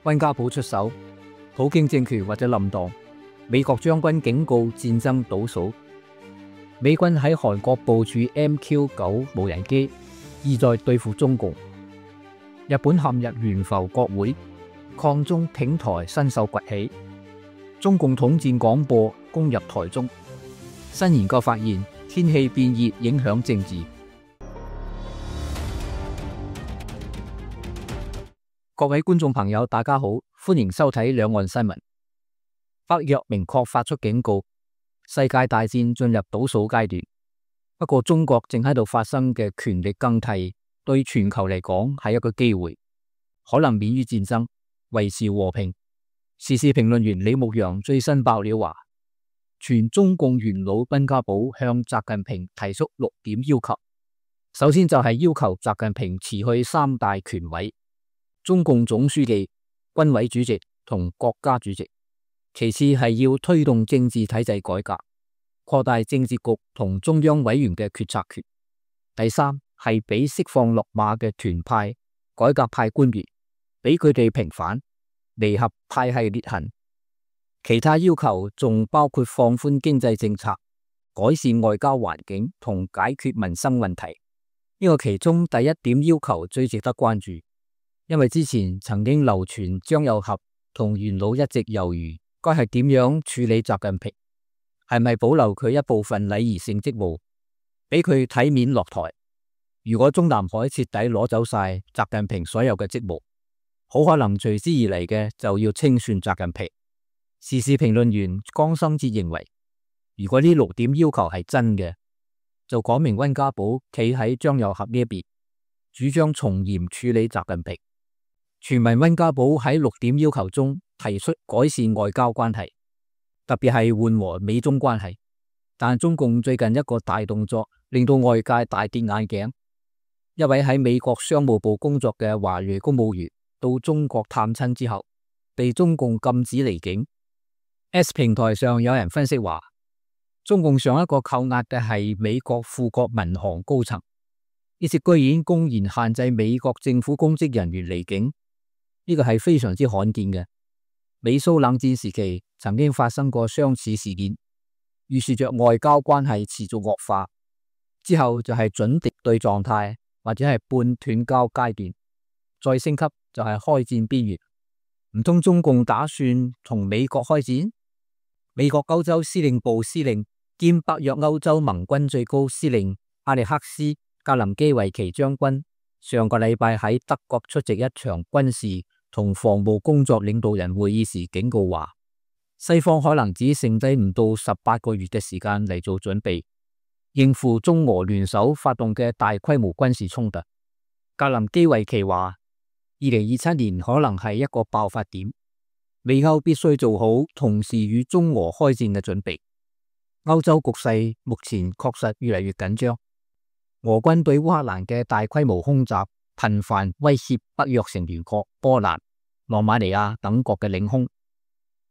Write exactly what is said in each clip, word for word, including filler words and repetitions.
溫家寶出手，普京政權或者冧檔。美國將軍警告戰爭倒數。美軍喺韓國部署 M Q 九無人機，意在對付中共。日本陷入懸浮國會，抗中挺台新秀崛起。中共統戰廣播攻入台中。新研究發現，天氣變熱影響政治。各位觀眾朋友，大家好，歡迎收睇兩岸新聞。北約明確發出警告，世界大戰進入倒數階段。不過，中國正喺度發生嘅權力更替，對全球嚟講係一個機會，可能免於戰爭，維持和平。時事評論員李牧陽最新爆料話，前中共元老溫家寶向習近平提出六點要求。首先就係要求習近平辭去三大權位，中共總書記、軍委主席同國家主席。其次係要推動政治體制改革，擴大政治局同中央委員嘅決策權。第三係俾釋放落馬嘅團派、改革派官員，俾佢哋平反，彌合派系裂痕。其他要求仲包括放寬經濟政策、改善外交環境同解決民生問題。呢個其中第一點要求最值得關注，因為之前曾經流傳張又俠同元老一直猶豫該係點樣處理習近平，係咪保留佢一部分禮儀性職務，俾佢體面落台？如果中南海徹底攞走晒習近平所有嘅職務，好可能隨之而嚟嘅就要清算習近平。時事評論員江生哲認為，如果呢六點要求係真嘅，就講明溫家寶企喺張又俠呢一邊，主張從嚴處理習近平。傳聞溫家寶喺六點要求中提出改善外交關係，特別係緩和美中關係。但中共最近一個大動作令到外界大跌眼鏡。一位喺美國商務部工作嘅華裔公務員到中國探親之後，被中共禁止離境。S 平台上有人分析話，中共上一個扣押嘅係美國富國民航高層，呢次居然公然限制美國政府公職人員離境，呢個係非常之罕見嘅。美蘇冷戰時期曾經發生過相似事件，預示着外交關係持續惡化，之後就係準敵對狀態或者係半斷交階段，再升級就係開戰邊緣。唔通中共打算同美國開戰？美國歐洲司令部司令兼北約歐洲盟軍最高司令阿歷克斯格林基維奇將軍上個禮拜喺德國出席一場軍事同防務工作領導人會議時警告話，西方可能只剩低唔到十八個月嘅時間嚟做準備，應付中俄聯手發動嘅大規模軍事衝突。格林基維奇話，二零二七年可能係一個爆發點，美歐必須做好同時與中俄開戰嘅準備。歐洲局勢目前確實越嚟越緊張，俄軍對烏克蘭嘅大規模空襲頻繁威脅北約成員國波蘭、羅馬尼亞等國嘅領空，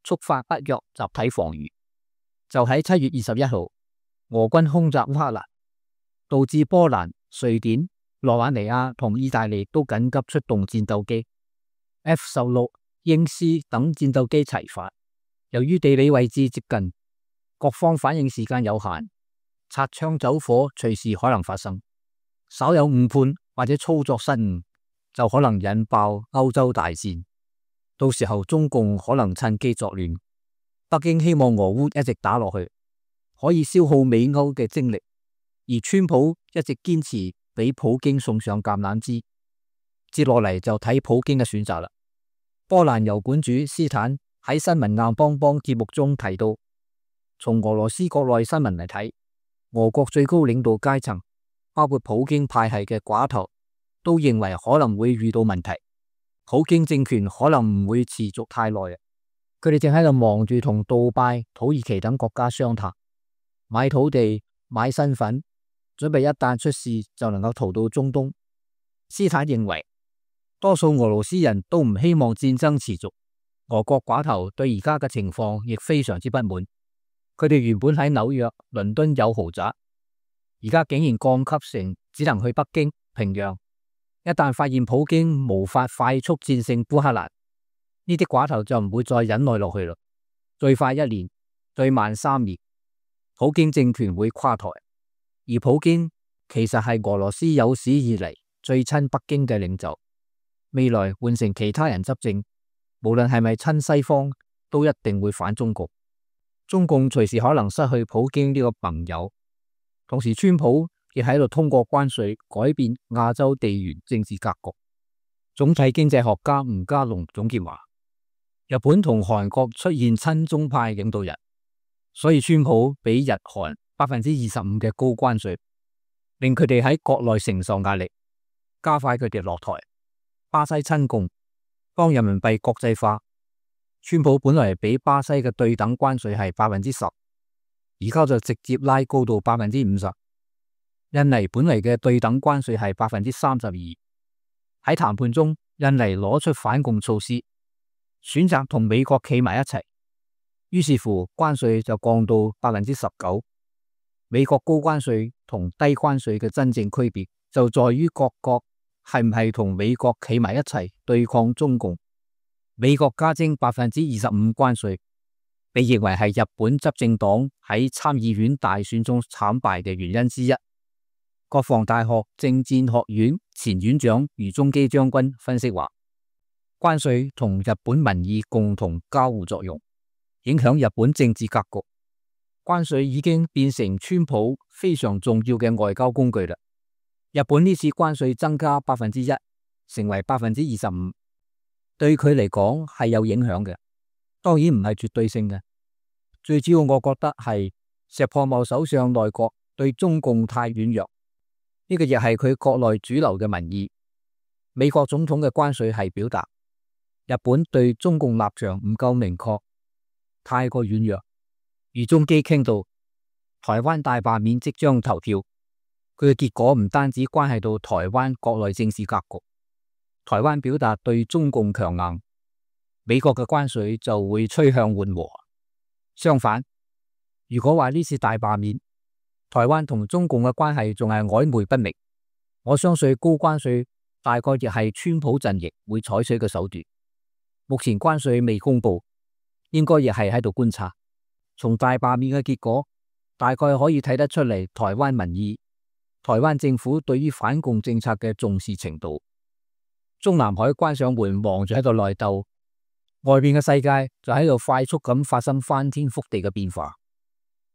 觸發北約集體防禦。就喺七月二十一號，俄軍空襲烏克蘭，導致波蘭、瑞典、羅馬尼亞同意大利都緊急出動戰鬥機 F 十六、鷹獅等戰鬥機齊發。由於地理位置接近，各方反應時間有限，擦槍走火隨時可能發生。稍有誤判或者操作失誤，就可能引爆歐洲大戰。到時候中共可能趁機作亂。北京希望俄烏一直打落去，可以消耗美歐嘅精力，而川普一直堅持俾普京送上橄欖枝。接落嚟就睇普京嘅選擇啦。波蘭油管主斯坦喺新聞硬邦邦節目中提到，從俄羅斯國內新聞嚟睇，俄國最高領導階層，包括普京派系嘅寡頭，都認為可能會遇到問題。普京政權可能唔會持續太耐。佢哋正喺度忙住同杜拜、土耳其等國家商談，買土地、買身份，準備一旦出事就能夠逃到中東。斯坦認為，多數俄羅斯人都唔希望戰爭持續。俄國寡頭對而家嘅情況亦非常之不滿。佢哋原本喺紐約、倫敦有豪宅，而家竟然降級成只能去北京、平壤。一旦發現普京無法快速戰勝烏克蘭，呢啲寡頭就唔會再忍耐落去啦。最快一年，最慢三年，普京政權會垮台。而普京其實係俄羅斯有史以嚟最親北京嘅領袖，未來換成其他人執政，無論係咪親西方，都一定會反中國。中共隨時可能失去普京呢個盟友，同時川普亦喺度通過關稅改變亞洲地緣政治格局。總體經濟學家吳家龍總結話，日本同韓國出現親中派領導人，所以川普俾日韓百分之二十五嘅高關稅，令佢哋喺國內承受壓力，加快佢哋落台。巴西親共，當人民幣國際化，川普本來俾巴西嘅對等關稅係百分之十，而家就直接拉高到百分之五十。印尼本嚟嘅對等關稅係百分之三十二。喺談判中，印尼攞出反共措施，選擇同美國企埋一齊，於是乎關稅就降到百分之十九。美國高關稅同低關稅嘅真正區別就在於各國係唔係同美國企埋一齊對抗中共。美國加徵百分之二十五關稅，被認為係日本執政黨喺參議院大選中慘敗嘅原因之一。國防大學政戰學院前院長余宗基將軍分析話，關稅同日本民意共同交互作用，影響日本政治格局。關稅已經變成川普非常重要嘅外交工具啦。日本呢次關稅增加百分之一，成為百分之二十五，對佢嚟講係有影響嘅，當然唔係絕對性嘅。最主要我覺得係石破茂首相內閣對中共太軟弱。呢個亦係佢國內主流嘅民意。美國總統嘅關稅係表達日本對中共立場唔夠明確，太過軟弱。余宗基傾到台灣大罷免即將投票，佢嘅結果唔單止關係到台灣國內政治格局，台灣表達對中共強硬，美國嘅關稅就會趨向緩和。相反，如果話呢次大罷免，台灣同中共嘅關係仲係曖昧不明，我相信高關稅大概亦係川普陣營會採取嘅手段。目前關稅未公布，應該亦係喺度觀察。從大罷免嘅結果，大概可以睇得出嚟台灣民意、台灣政府對於反共政策嘅重視程度。中南海關上門，忙住喺度內鬥，外面嘅世界就喺度快速咁發生翻天覆地嘅變化。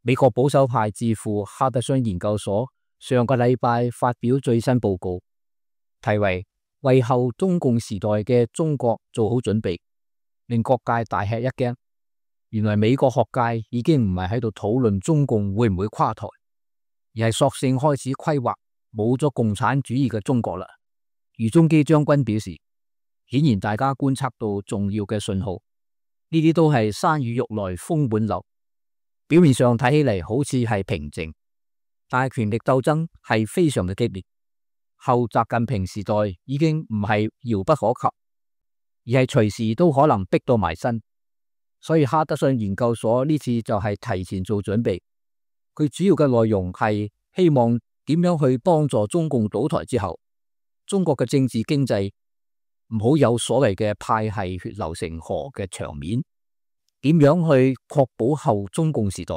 美國保守派智庫哈德遜研究所上個禮拜發表最新報告，題為為後中共時代嘅中國做好準備，令各界大吃一驚。原來美國學界已經唔係喺度討論中共會唔會垮台，而係索性開始規劃冇咗共產主義嘅中國啦。余宗基將軍表示，顯然大家觀察到重要嘅信號，呢啲都係山雨欲來風滿樓。表面上睇起嚟好似係平靜，但係權力鬥爭係非常嘅激烈。後習近平時代已經唔係遙不可及，而係隨時都可能逼到埋身。所以哈德遜研究所呢次就係提前做準備，佢主要嘅內容係希望點樣去幫助中共倒台之後，中國嘅政治經濟唔好有所謂嘅派系血流成河嘅場面。點樣去確保後中共時代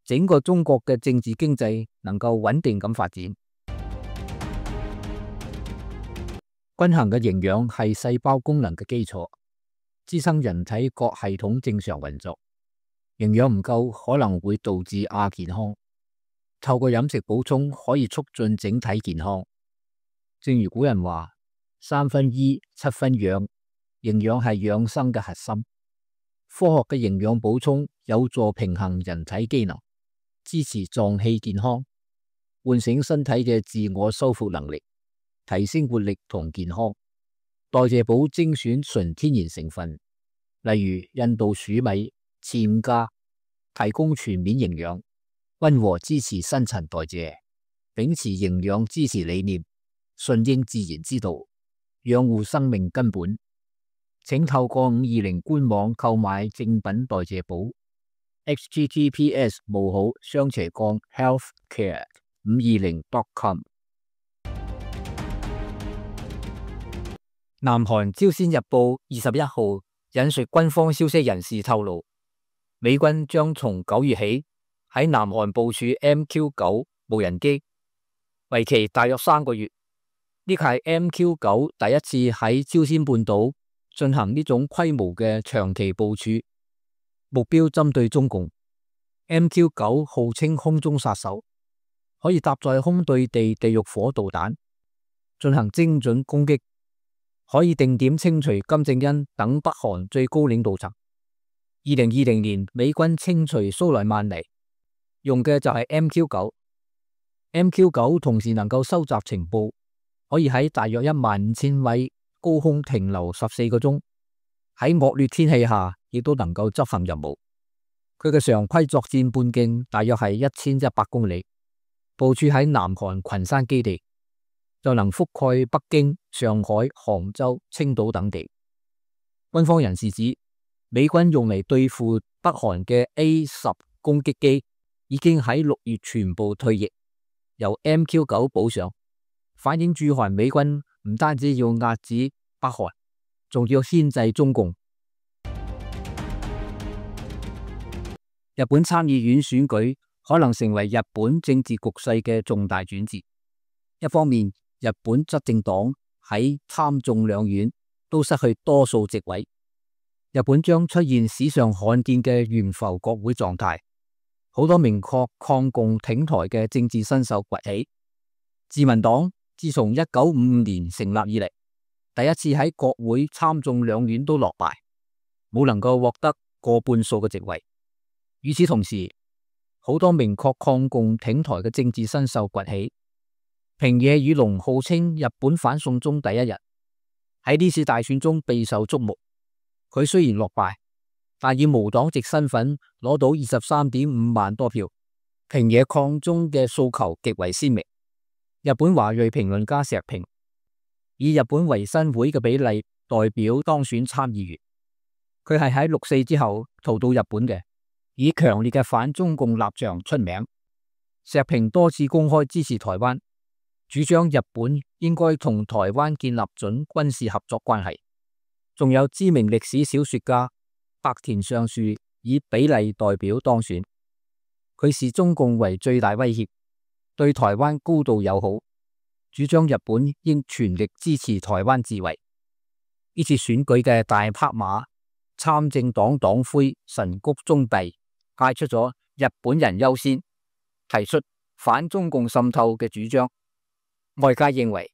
整個中國嘅政治經濟能夠穩定咁發展？均衡嘅營養係細胞功能嘅基礎，支撐人體各系統正常運作。營養唔夠可能會導致亞健康，透過飲食補充可以促進整體健康。正如古人話：三分醫，七分養，營養係養生嘅核心。科學嘅營養補充有助平衡人體機能，支持臟器健康，喚醒身體嘅自我修復能力，提升活力同健康。代謝補精選純天然成分，例如印度黍米、暹茄，提供全面營養，溫和支持新陳代謝，秉持營養支持理念，順應自然之道，養護生命根本。請透過五二零官網購買正品代謝補 h t t p s 冒號雙斜槓 healthcare 五二零 dot com。 南韓朝鮮日報二十一號引述軍方消息人士透露，美軍將從九月起喺南韓部署 M Q 九無人機，為期大約三個月。呢個係 M Q 九第一次喺朝鮮半島進行呢種規模嘅長期部署，目標針對中共。M Q 九號稱空中殺手，可以搭載空對地地獄火導彈進行精準攻擊，可以定點清除金正恩等北韓最高領導層。二零二零年美軍清除蘇萊曼尼用嘅就係 M Q 九。M Q 九同時能夠收集情報，可以喺大約一萬五千米高空停留十四個鐘，喺惡劣天氣下亦都能夠執行任務。佢嘅常規作戰半徑大約係一千一百公里，部署喺南韓群山基地，就能覆蓋北京、上海、杭州、青島等地。軍方人士指，美軍用嚟對付北韓嘅 A 十攻擊機已經喺六月全部退役，由 M Q 九補上，反映駐韓美軍唔單止要壓制北韓，仲要牽制中共。日本參議院選舉可能成為日本政治局勢嘅重大轉折。一方面，日本執政黨喺參眾兩院都失去多數席位，日本將出現史上罕見嘅懸浮國會狀態，好多明確抗共挺台嘅政治新秀崛起。自民黨自從一九五五年成立以嚟，第一次喺國會參眾兩院都落敗，冇能夠獲得過半數嘅席位。與此同時，好多明確抗共挺台嘅政治新秀崛起。平野宇龍號稱日本反送中第一人，喺呢次大選中備受矚目。佢雖然落敗，但以無黨籍身份攞到二十三點五萬多票。平野抗中嘅訴求極為鮮明。日本華裔評論家石平以日本維新會嘅比例代表當選參議員。佢係喺六四之後逃到日本嘅，以強烈嘅反中共立場出名。石平多次公開支持台灣，主張日本應該同台灣建立準軍事合作關係。仲有知名歷史小說家白田尚樹以比例代表當選。佢視中共為最大威脅，對台灣高度友好，主張日本應全力支持台灣自衛。呢次選舉嘅大拍馬，參政黨黨魁神谷宗弼派出咗日本人優先，提出反中共滲透嘅主張。外界認為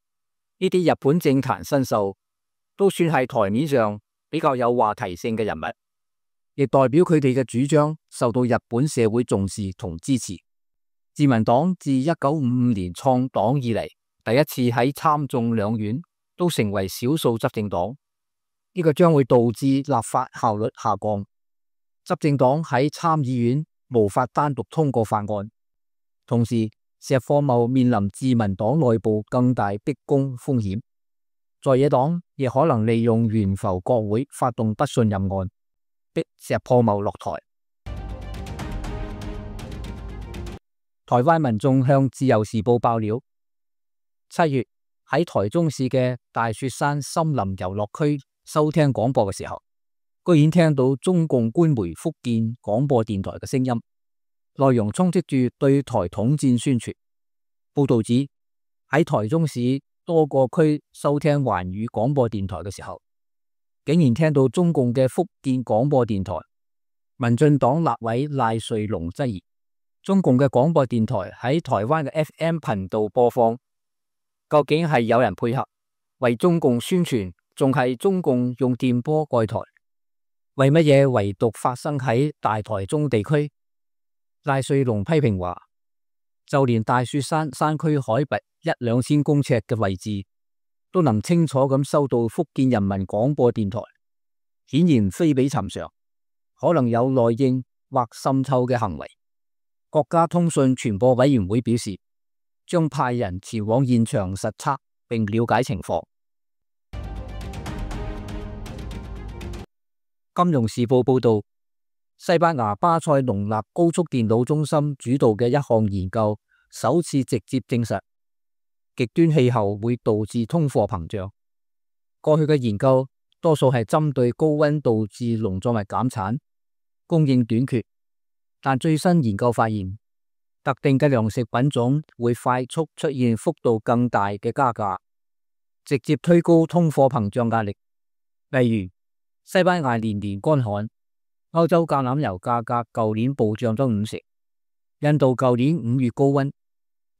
呢啲日本政壇新秀都算係台面上比較有話題性嘅人物，亦代表佢哋嘅主張受到日本社會重視同支持。自民黨自一九五五年創黨以嚟，第一次喺參眾兩院都成為少數執政黨，呢個將會導致立法效率下降。執政黨喺參議院無法單獨通過法案，同時石破茂面臨自民黨內部更大逼宮風險，在野黨亦可能利用懸浮國會發動不信任案，逼石破茂落台。台灣民眾向自由時報爆料，七月喺台中市嘅大雪山森林遊樂區收聽廣播嘅時候，居然聽到中共官媒福建廣播電台嘅聲音，內容充斥住對台統戰宣傳。報道指喺台中市多個區收聽環宇廣播電台嘅時候，竟然聽到中共嘅福建廣播電台。民進黨立委賴瑞隆質疑，中共嘅廣播電台喺台灣嘅 F M 頻道播放，究竟係有人配合為中共宣傳，仲係中共用電波蓋台？為乜嘢唯獨發生喺大台中地區？賴瑞隆批評話，就連大雪山山區海拔一兩千公尺嘅位置，都能清楚咁收到福建人民廣播電台，顯然非比尋常，可能有內應或滲透嘅行為。國家通訊傳播委員會表示，將派人前往現場實測並了解情況。金融時報報道，西班牙巴塞隆納高速電腦中心主導嘅一項研究，首次直接證實極端氣候會導致通貨膨脹。過去嘅研究多數係針對高溫導致農作物減產、供應短缺，但最新研究發現，特定嘅糧食品種會快速出現幅度更大嘅加價，直接推高通貨膨脹壓力。例如，西班牙年年乾旱，歐洲橄欖油價格舊年暴漲咗五成；印度舊年五月高溫，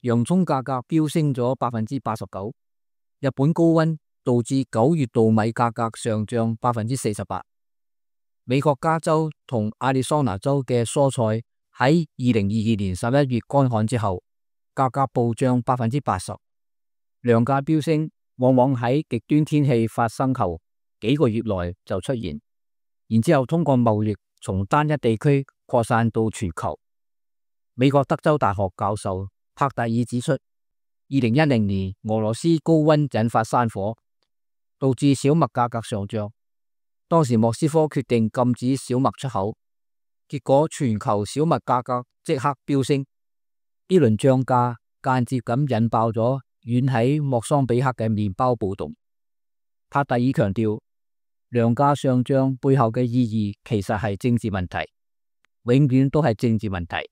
洋蔥價格飆升咗百分之八十九；日本高溫導致九月稻米價格上漲百分之四十八。美國加州同亞利桑那州嘅蔬菜喺二零二二年十一月乾旱之後，價格暴漲百分之八十。糧價飆升往往喺極端天氣發生後幾個月內就出現，然之後通過貿易從單一地區擴散到全球。美國德州大學教授帕特爾指出，二零一零年俄羅斯高溫引發山火，導致小麥價格上漲。當時莫斯科決定禁止小麥出口，結果全球小麥價格即刻飆升。呢輪漲價間接咁引爆咗遠喺莫桑比克嘅麵包暴動。帕特爾強調，糧價上漲背後嘅意義其實係政治問題，永遠都係政治問題。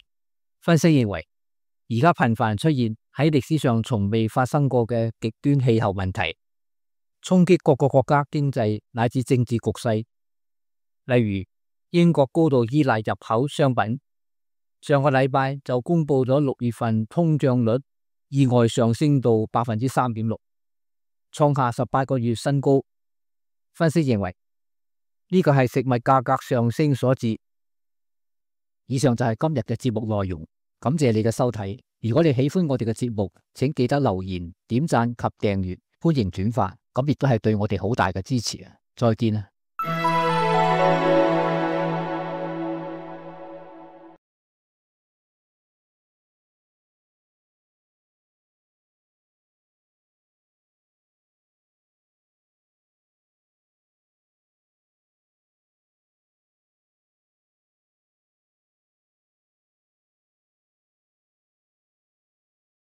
分析認為，而家頻繁出現喺歷史上從未發生過嘅極端氣候問題，衝擊各個國家經濟乃至政治局勢。例如，英國高度依賴入口商品，上個禮拜就公布咗六月份通脹率意外上升到百分之三點六，創下十八個月新高。分析認為，呢個係食物價格上升所致。以上就係今日嘅節目內容，感謝你嘅收睇。如果你喜歡我哋嘅節目，請記得留言、點讚及訂閱，歡迎轉發，咁亦都係對我哋好大嘅支持啊！再見啊！